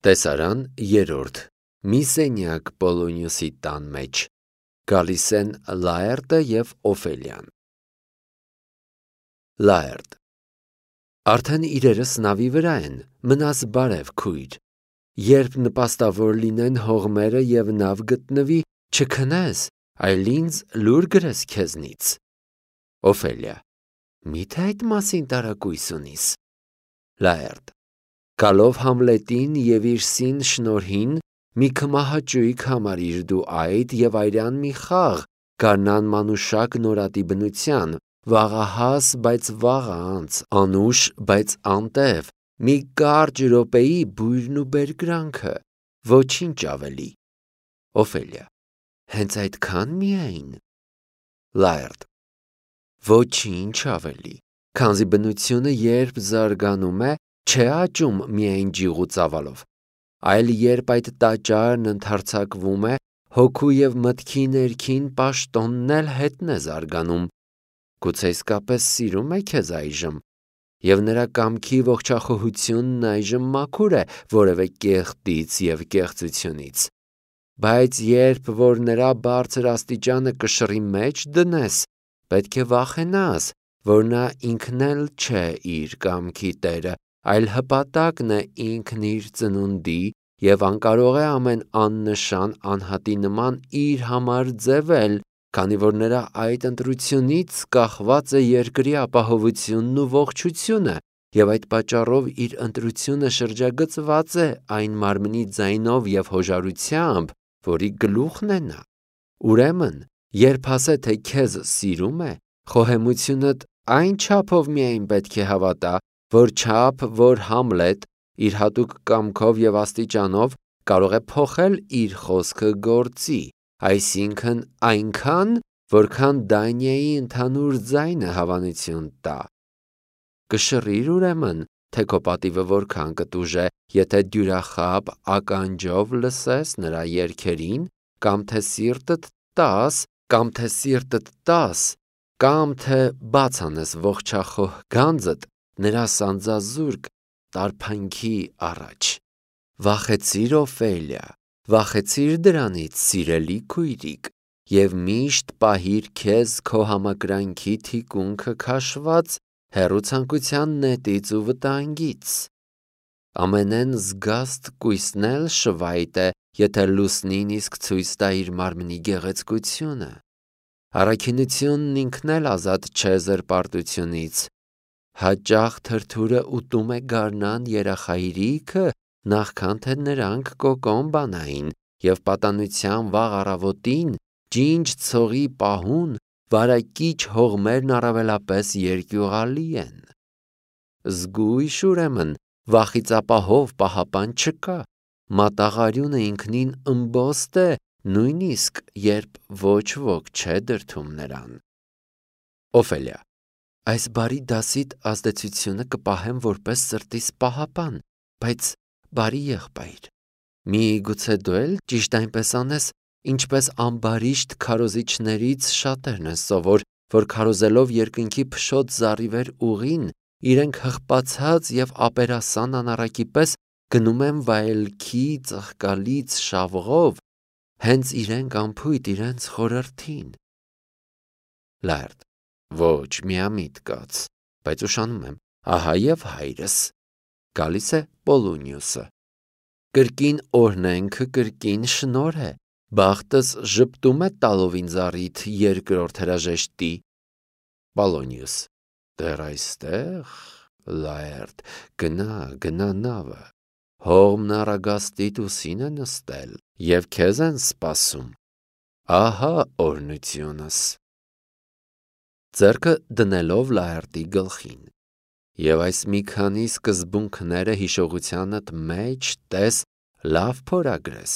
Տեսարան երրորդ մի սենյակ Պոլոնիոսի տան մեջ գալիս են Լաերտը և Օֆելիան։ Լաերտ. Արդեն իրերս նավի վրա են, մնաս բարև քույր, երբ նպաստավոր լինեն հողմերը և նավ գտնվի, չքնես, այլ ինձ լուր գրես քեզնից։ Օֆելիա. Միթե այդ մասին տարակույս ունիս։ Լաերտ. Գալով Համլետին և իր սին շնորհին մի քմահաճույք համարիր դու այդ և այրան մի խաղ գարնան մանուշակ նորատի բնության, վաղահաս, բայց վաղը անց, անուշ, բայց անտև, մի կարճ րոպեի բույրն ու բերկրանքը, ոչինչ ավելի։ Օֆելիա. հենց այդքան միայն։ Լաերտ. Ոչինչ ավելի, քանզի բնությունը երբ զարգանում է, չէ աճում միայն ջիղ ու ծավալով, այլ երբ այդ տաճարն ընդարձակվում է, հոգու և մտքի ներքին պաշտոնն էլ հետն է զարգանում, գուցե իսկապես սիրում է քեզ այժմ, և նրա կամքի ողջախոհությունն այժմ մաքուր է որևէ կեղտից և կեղծությունից, բայց երբ որ նրա բարձր աստիճանը կշռի մեջ դնես, պետք է վախենաս, որ նա ինքն էլ չէ իր կամքի տերը, այլ հպատակն է ինքն իր ծնունդի և անկարող է ամեն աննշան անհատի նման իր համար ձևել, քանի որ նրա այդ ընտրությունից կախված է երկրի ապահովությունն ու ողջությունը, և այդ պատճառով իր ընտրությունը շրջագծված է այն մարմնի ձայնով և հոժարությամբ, որի գլուխն է նա։ Ուրեմն, երբ ասե, թե քեզ սիրում է, խոհեմությունդ այն չափով միայն պետք է հավատա, որչափ որ Համլետ իր հատուկ կամքով և աստիճանով կարող է փոխել իր խոսքը գործի, այսինքն այնքան, որքան Դանիայի ընդհանուր ձայնը հավանություն տա։ Կշռիր ուրեմն, թե քո պատիվը որքան կտուժե, եթե դյուրախաբ ականջով լսես նրա երգերին, կամ թե սիրտդ տաս, կամ թե բաց անես ողջախոհ գանձդ նրա սանձազուրկ տարփանքի առաջ։ Վախեցիր, Օֆելիա, վախեցիր դրանից, սիրելի քույրիկ, և միշտ պահիր քեզ քո համակրանքի թիկունքը քաշված հեռու ցանկության նետից ու վտանգից։ Ամենեն զգաստ կույսն էլ շվայտ է, եթե լուսնին իսկ ցույց տա իր մարմնի գեղեցկությունը։ Առաքինությունն ինքն էլ ազատ չէ զրպարտությունից։ Հաճախ թրթուրը ուտում է գարնան երախայրիքը, նախքան թե նրանք կոկոն բանային, և պատանության վաղ առավոտին, ջինջ ցողի պահուն, վարակիչ հողմերն առավելապես երկյուղալի են։ Զգույշ ուրեմն, վախից ապահով պահապան չկա, մատաղարյունը ինքնին ըմբոստ է, նույնիսկ երբ ոչ ոք չէ դրդում նրան։ Օֆելիա. Այս բարի դասիդ ազդեցությունը կպահեմ որպես սրտիս պահապան, բայց բարի եղբայր, միգուցե դու էլ ճիշտ այնպես անես, ինչպես ամբարիշտ քարոզիչներից շատերն են սովոր, որ քարոզելով երկնքի փշոտ զառիվեր ուղին, իրենք հղպացած և ապերասան անառակի պես գնում են վայելքի ծաղկալից շավղով, հենց իրենք անփույթ իրենց խորհրդին։ Լաերտ. Ոչ, միամիտ կաց, բայց ուշանում եմ, ահա և հայրս։ Գալիս է Պոլոնիոսը. Կրկին օրհնենքը կրկին շնորհ է, բախտս ժպտում է տալով ինձ առիթ երկրորդ հրաժեշտի։ Պոլոնիոս. Դեռ այստեղ։ Լաերտ. Գնա նավը, հողմն առագաստիդ ուսին է նստել, և քեզ են սպասում, ահա օրհնությունս։ Ձեռքը դնելով Լաերտի գլխին. Եվ այս մի քանի սկզբունքները հիշողությանդ մեջ տես լավ փորագրես,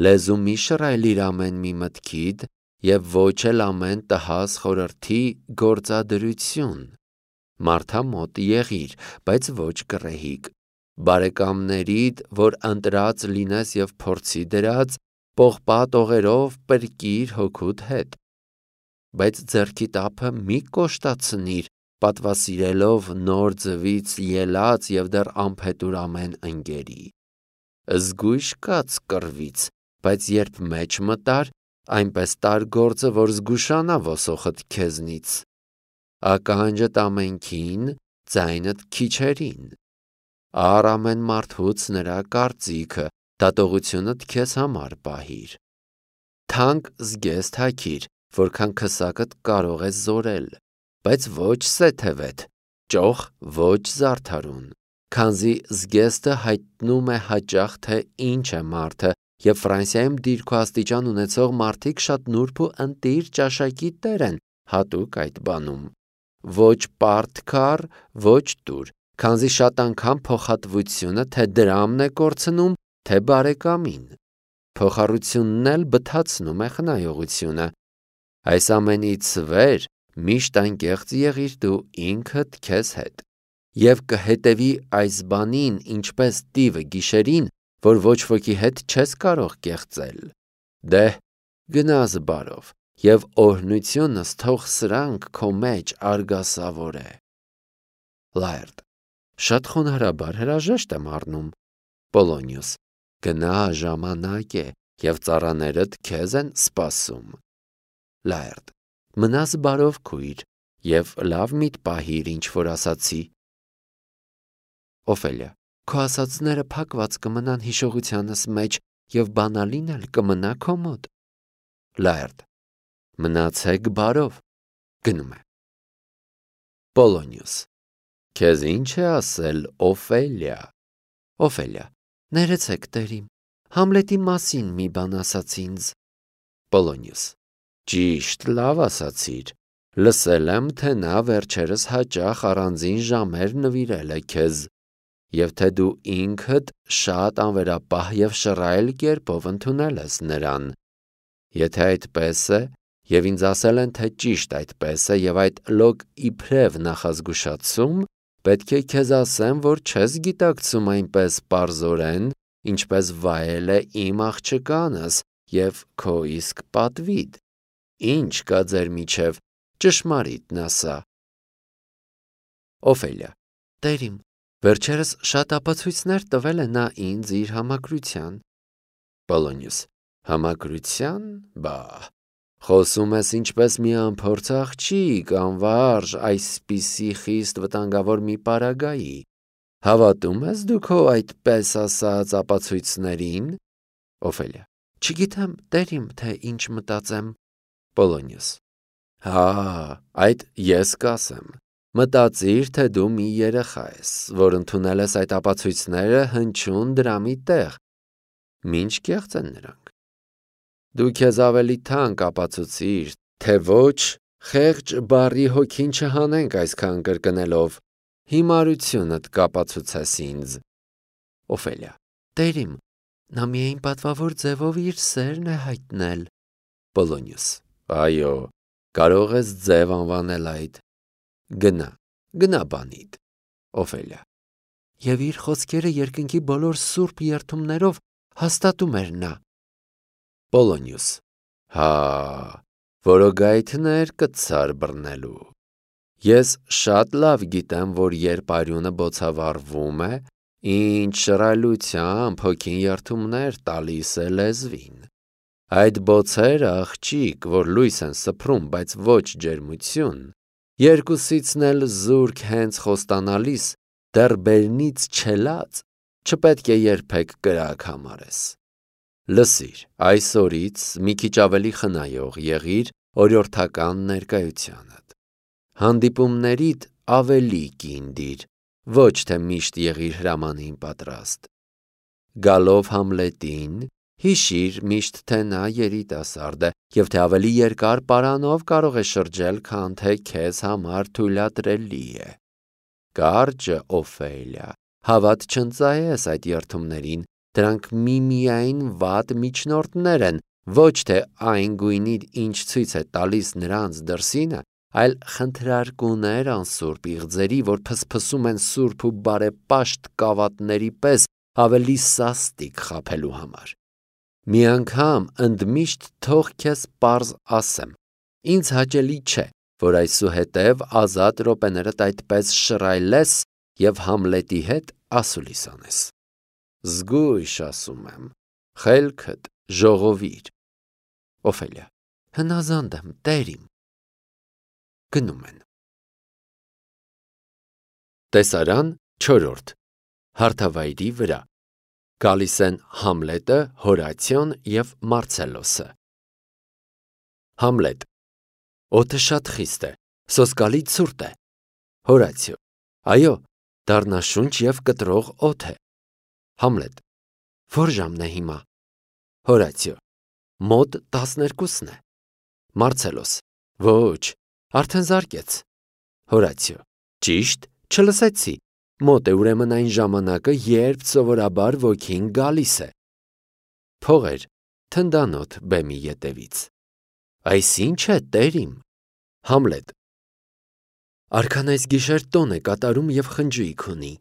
լեզու մի շռայլիր ամեն մի մտքիդ և ոչ էլ ամեն տհաս խորհրդի գործադրություն, մարդամոտ եղիր, բայց ոչ կռեհիկ, բարեկամներիդ, որ ընտրած լինես և փորձի դրած, պողպատ օղերով պրկիր հոգուդ հետ, բայց ձեռքիդ ափը մի կոշտացնիր, պատվասիրելով նոր ձվից ելած և դեռ անփետուր ամեն ընկերի, զգույշ կաց կռվից, բայց երբ մեջ մտար, այնպես տար գործը, որ զգուշանա ոսոխդ քեզնից։ Ականջդ ամենքին, ձայնդ քիչերին։ Առ ամեն մարդուց նրա կարծիքը, դատողությունդ քեզ համար պահիր։ Թանկ զգեստ հագիր, որքան քսակդ կարող է զորել, բայց ոչ սեթևետ, ճոխ ոչ զարդարուն, քանզի զգեստը հայտնում է հաճախ, թե ինչ է մարդը, և Ֆրանսիայում դիրք ու աստիճան ունեցող մարդիկ շատ նուրբ ու ընտիր ճաշակի տեր են հատուկ այդ բանում։ Ոչ պարտքար, ոչ տուր, քանզի շատ անգամ փոխհատվությունը թե դրամն է կորցնում, թե բարեկամին։ Փոխառությունն էլ բթացնում է խնայողությունը։ Այս ամենից վեր միշտ անկեղծ եղիր դու ինքդ քեզ հետ, և կհետևի այս բանին ինչպես տիվը գիշերին, որ ոչ ոքի հետ չես կարող կեղծել։ Դեհ, գնաս բարով, և օրհնությունս թող սրանք քո մեջ արգասավոր է։ Լայրդ. Շատ խոնարհաբար հրաժեշտ եմ առնում։ Պոլոնիոս. Գնա, ժամանակ է, և ծառաներդ քեզ են սպասում։ Լայրդ. Մնաս բարով քույր, և լավ միտ պահիր, ինչ որ ասացի։ Օֆելիա. Քո ասածները փակված կմնան հիշողությանս մեջ, և բանալին էլ կմնա քո մոտ։ Լայրդ. Մնացեք բարով։ Գնում է։ Պոլոնիոս. Քեզ ինչ է ասել Օֆելիա։ Օֆելիա. Ներեցեք տերիմ, Համլետի մասին մի բան ասաց ինձ։ Պոլոնիոս. Ճիշտ, լավ ասացիր։ Լսել եմ, թե նա վերջերս հաճախ առանձին ժամեր նվիրել է քեզ, և թե դու ինքդ շատ անվերապահ և շռայլ կերպով ընդունել ես նրան։ Եթե այդպես է, և ինձ ասել են, թե ճիշտ այդպես է, և այդ լոկ իբրև նախազգուշացում, պետք է քեզ ասեմ, որ չես գիտակցում այնպես պարզորեն, ինչպես վայել է իմ աղջկանս և քո իսկ պատվիդ։ Ինչ կա ձեր միջև, ճշմարիտն ասա։ Օֆելիա. Տերիմ, վերջերս շատ ապացույցներ տվել է նա ինձ իր համակրության։ Պոլոնիոս. Համակրության, բա, խոսում ես ինչպես մի անփորձ աղջիկ, անվարժ, այսպիսի խիստ վտանգավոր մի պարագայի։ Հավատում ես դու քո այդպես ասած ապացույցներին։ Օֆելիա. Չգիտեմ, տերիմ, թե ինչ մտածեմ։ Պոլոնիոս. Հա, այդ ես կասեմ։ Մտածիր, թե դու մի երեխա ես, որ ընդունել ես այդ ապացույցները հնչյուն դրամի տեղ։ Մինչ կեղծ են նրանք։ Դու քեզ ավելի թանկ ապացուցիր, թե ոչ, խեղճ բառի հոգին չհանենք այսքան կրկնելով, հիմարությունդ կապացուցես ինձ։ Օֆելիա. Տերիմ, նա միայն պատվավոր ձևով իր սերն է հայտնել։ Պոլոնիոս. Այո, կարող ես ձև անվանել այդ։ Գնա բանիդ։ Օֆելիա. Եվ իր խոսքերը երկնքի բոլոր սուրբ երդումներով հաստատում էր նա։ Պոլոնիոս. Հա, որոգայթներ կցար բռնելու։ Ես շատ լավ գիտեմ, որ երբ արյունը բոցավառվում է, ինչ շռայլությամբ հոգին երդումներ տալիս է լեզվին։ Այդ բոցերը, աղջիկ, որ լույս են սփռում, բայց ոչ ջերմություն, երկուսիցն էլ զուրկ հենց խոստանալիս, դեռ բերնից չելած, չպետք է երբեք կրակ համարես։ Լսիր, այսօրից մի քիչ ավելի խնայող եղիր օրյորդական ներկայությանդ։ Հանդիպումներիդ ավելի կին դիր, ոչ թե միշտ եղիր հրամանին պատրաստ։ Գալով Համլետին, հիշիր միշտ, թե նա երիտասարդ է, և թե ավելի երկար պարանով կարող է շրջել, քան թե քեզ համար թույլատրելի է։ Կարճը, Օֆելիա, հավատ չընծայես այդ երդումներին, դրանք միմիայն վատ միջնորդներ են, ոչ թե այն գույնի, ինչ ցույց է տալիս նրանց դրսինը, այլ խնդրարկուներ անսուրբ իղձերի, որ փսփսում են սուրբ ու բարեպաշտ կավատների պես ավելի սաստիկ խաբելու համար։ Մի անգամ ընդմիշտ թող քեզ պարզ ասեմ, ինձ հաճելի չէ, որ այսուհետև ազատ րոպեներդ այդպես շռայլես և Համլետի հետ ասուլիս անես։ Զգույշ ասում եմ, խելքդ ժողովիր։ Օֆելիա. հնազանդ եմ, տեր իմ։ Գնում են։ Տեսարան 4. Հարթավայրի վրա։ Գալիս են Համլետը, Հորացիոն և Մարցելոսը։ Համլետ. օդը շատ խիստ է, սոսկալի ցուրտ է։ Հորացիո. այո, դառնաշունչ և կտրող օդ է։ Համլետ. որ ժամն է հիմա։ Հորացիո. մոտ 12-ն է։ Մարցելոս. ոչ, արդեն զարկեց։ Հորացիո. ճիշտ, չլսեցի։ Մոտ է ուրեմն այն ժամանակը, երբ սովորաբար ոգին գալիս է։ Փողեր, թնդանոթ բեմի ետևից։ Այս ինչ է, տեր իմ։ Համլետ. արքան այս գիշեր տոն է կատարում և խնջույք ունի,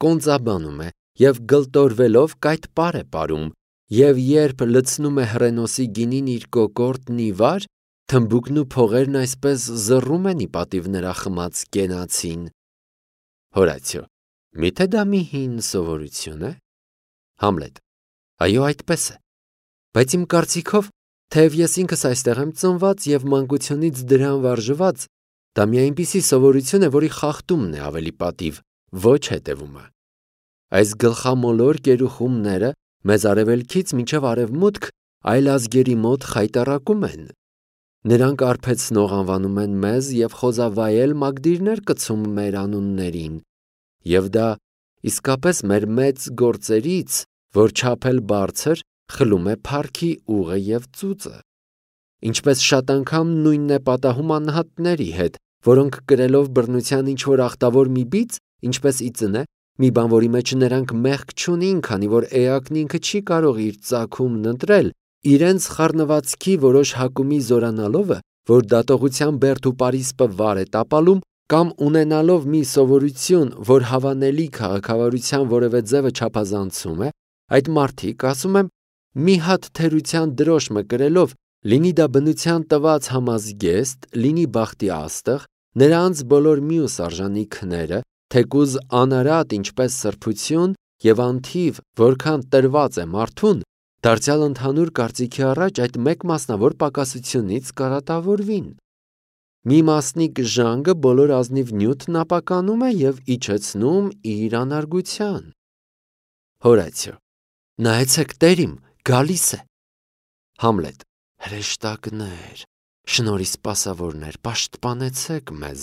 կոնծաբանում է և գլտորվելով կայտպար է պարում, և երբ լցնում է հռենոսի գինին իր կոկորդն ի վար, թմբուկն ու փողերն այսպես զռում են ի պատիվ նրա խմած կենացին։ Հորացիո. միթե դա մի հին սովորություն է։ Համլետ. այո, այդպես է, բայց իմ կարծիքով, թեև ես ինքս այստեղ եմ ծնված և մանկությունից դրան վարժված, դա մի այնպիսի սովորություն է, որի խախտումն է ավելի պատիվ, ոչ հետևումը։ Այս գլխամոլոր կերուխումները մեզ արևելքից մինչև արևմուտք այլ ազգերի մոտ խայտառակում են։ Նրանք արբեցնող անվանում են մեզ և խոզավայել մագդիրներ կցում մեր անուններին, և դա իսկապես մեր մեծ գործերից, որ չափել բարձր, խլում է փառքի ուղը և ծուծը։ Ինչպես շատ անգամ նույնն է պատահում անհատների հետ, որոնք կրելով բռնության ինչ-որ ախտավոր մի բիծ, ինչպես ի ծնե, մի բան, որի մեջ նրանք մեղք չունին, քանի որ էակն ինքը չի կարող իր ծագումն ընտրել, իրենց խառնվածքի որոշ հակումի զորանալովը, որ դատողության բերդ ու պարիսպը վար է տապալում, կամ ունենալով մի սովորություն, որ հավանելի քաղաքավարության որևէ ձևը չափազանցում է, այդ մարդիկ, ասում եմ, մի հատ թերության դրոշմը կրելով, լինի դա բնության տված համազգեստ, լինի բախտի աստղ, նրանց բոլոր մյուս արժանիքները, թեկուզ անարատ ինչպես սրբություն և անթիվ, որքան տրված է մարդուն, դարձյալ ընդհանուր կարծիքի առաջ այդ մեկ մասնավոր պակասությունից կարատավորվին։ Մի մասնիկ ժանգը բոլոր ազնիվ նյութն ապականում է և իջեցնում իր անարգության։ Հորացիո. նայեցեք, տեր իմ, գալիս է։ Համլետ. հրեշտակներ, շնորհի սպասավորներ, պաշտպանեցեք մեզ։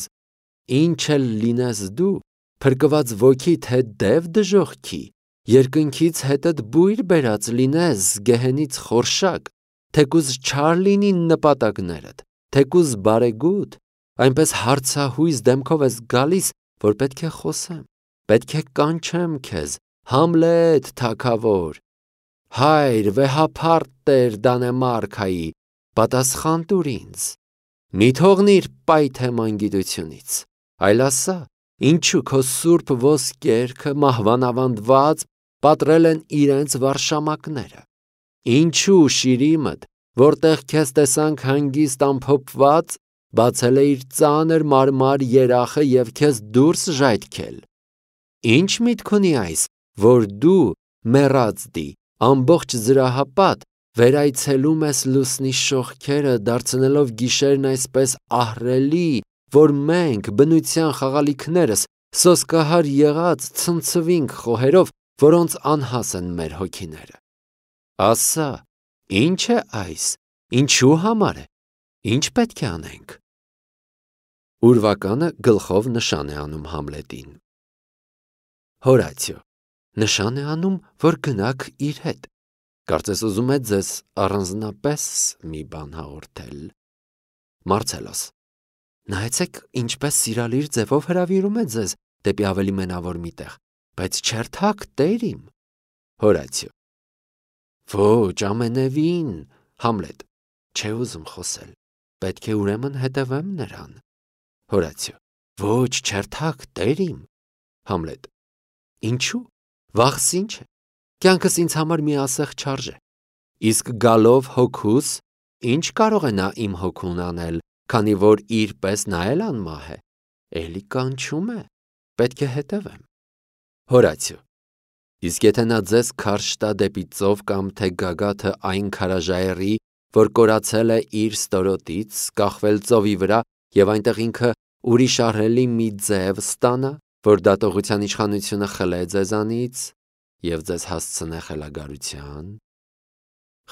Ինչ էլ լինես դու, փրկված ոգիդ հետ դև դժոխքի, երկնքից հետդ բույր բերած լինես գեհենից խորշակ, թեկուզ չար լինին նպատակներդ, թեկուզ բարեգութ, այնպես հարցահույս դեմքով ես գալիս, որ պետք է խոսեմ, պետք է կանչեմ քեզ, Համլետ թագավոր, հայր վեհափառ տեր Դանեմարքայի, պատասխան տուր ինձ, մի թողնիր պայթե մանգիտությունից, այլ ասա, ինչու քո սուրբ ոսկերքը մահվան ավանդված պատռել են իրենց վարշամակները, ինչու Շիրիմդ, որտեղ քեզ տեսանք հանգիստ ամփոփված, բացել է իր ծանր մարմար երախը և քեզ դուրս ժայթքել։ Ինչ միտք ունի այս, որ դու, մեռածդի, ամբողջ զրահապատ, վերայցելում ես լուսնի շողքերը, դարձնելով գիշերն այսպես ահռելի, որ մենք, բնության խաղալիքներս, սոսկահար եղած ցնցվինք խոհերով, որոնց անհաս են մեր հոգիները։ Ասա, ինչ է այս, ինչու համար է, ինչ պետք է անենք։ Ուրվականը գլխով նշան է անում Համլետին։ Հորացիո. նշան է անում, որ գնաք իր հետ։ Կարծես ուզում է ձեզ առանձնապես մի բան հաղորդել։ Մարցելոս. նայեցեք, ինչպես սիրալիր ձևով հրավիրում է ձեզ դեպի ավելի մենավոր մի տեղ, բայց չերթաք, տեր իմ։ Հորացիո. ոչ, ամենևին։ Համլետ. չէ ուզում խոսել, պետք է ուրեմն հետևեմ նրան։ Հորացիո. ոչ, չերթաք, տեր իմ։ Համլետ. ինչու, վաղս ինչ է, կյանքս ինձ համար մի ասեղ չարժե, իսկ գալով հոգուս, ինչ կարող է նա իմ հոգուն անել, քանի որ իր պես նա էլ անմահ է, էլի կանչում է, պետք է հետևեմ։ Հորացիո. Իսկ եթե նա ձեզ քարշ տա դեպի ծով կամ թե գագաթը այն քարաժայռի, որ կորացել է իր ստորոտից, կախվել ծովի վրա եւ այնտեղ ինքը ուրիշ ահռելի մի ձև ստանա, որ դատողության իշխանությունը խլե ձեզանից եւ ձեզ հասցնե խելագարության,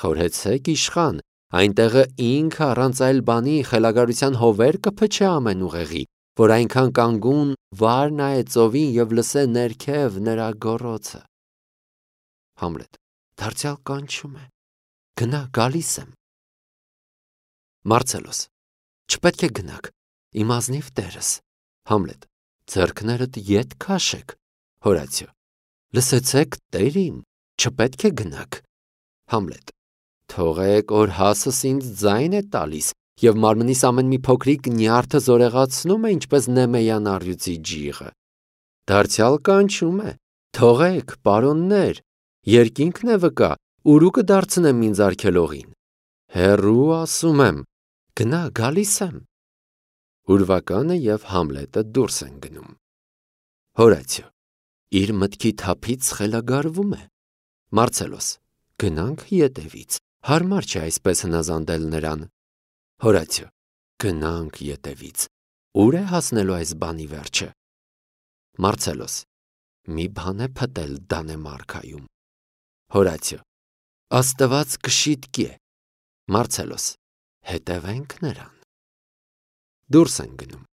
խորհեցեք իշխան, այնտեղը ինքը առանց այլ բանի խելագարության հովեր կփչե ամեն ուղեղի, որ այնքան կանգուն վար նայե ծովին եւ լսե ներքև նրա գոռոցը։ Համլետ. դարձյալ կանչում է։ Գնա, գալիս եմ։ Մարցելոս. չպետք է գնաք, իմ ազնիվ տերս։ Համլետ. ձեռքներդ ետ քաշեք։ Հորացիո. լսեցեք, տեր իմ, չպետք է գնաք։ Համլետ. թողեք, որ հասս ինձ ձայն է տալիս եւ մարմնիս ամեն մի փոքրիկ նյարդը զորեղացնում է, ինչպես Նեմեյան առյուծի ջիղը։ Դարձյալ կանչում է. թողեք, պարոններ, երկինքն է վկա, ուրու կդարձնեմ ինձ արգելողին։ Հեռու ասում եմ, գնա, գալիս եմ։ Ուրվականը եւ Համլետը դուրս են գնում։ Հորացիո. իր մտքի թափից խելագարվում է։ Մարցելոս. գնանք ետևից, հարմար չէ այսպես հնազանդել նրան։ Հորացիո. գնանք ետևից, ուր է հասնելու այս բանի վերջը։ Մարցելոս. մի բան է փտել Դանեմարքայում։ Հորացիո. Աստված կշիտկի է։ Մարցելոս. հետևենք նրան։ Դուրս են գնում։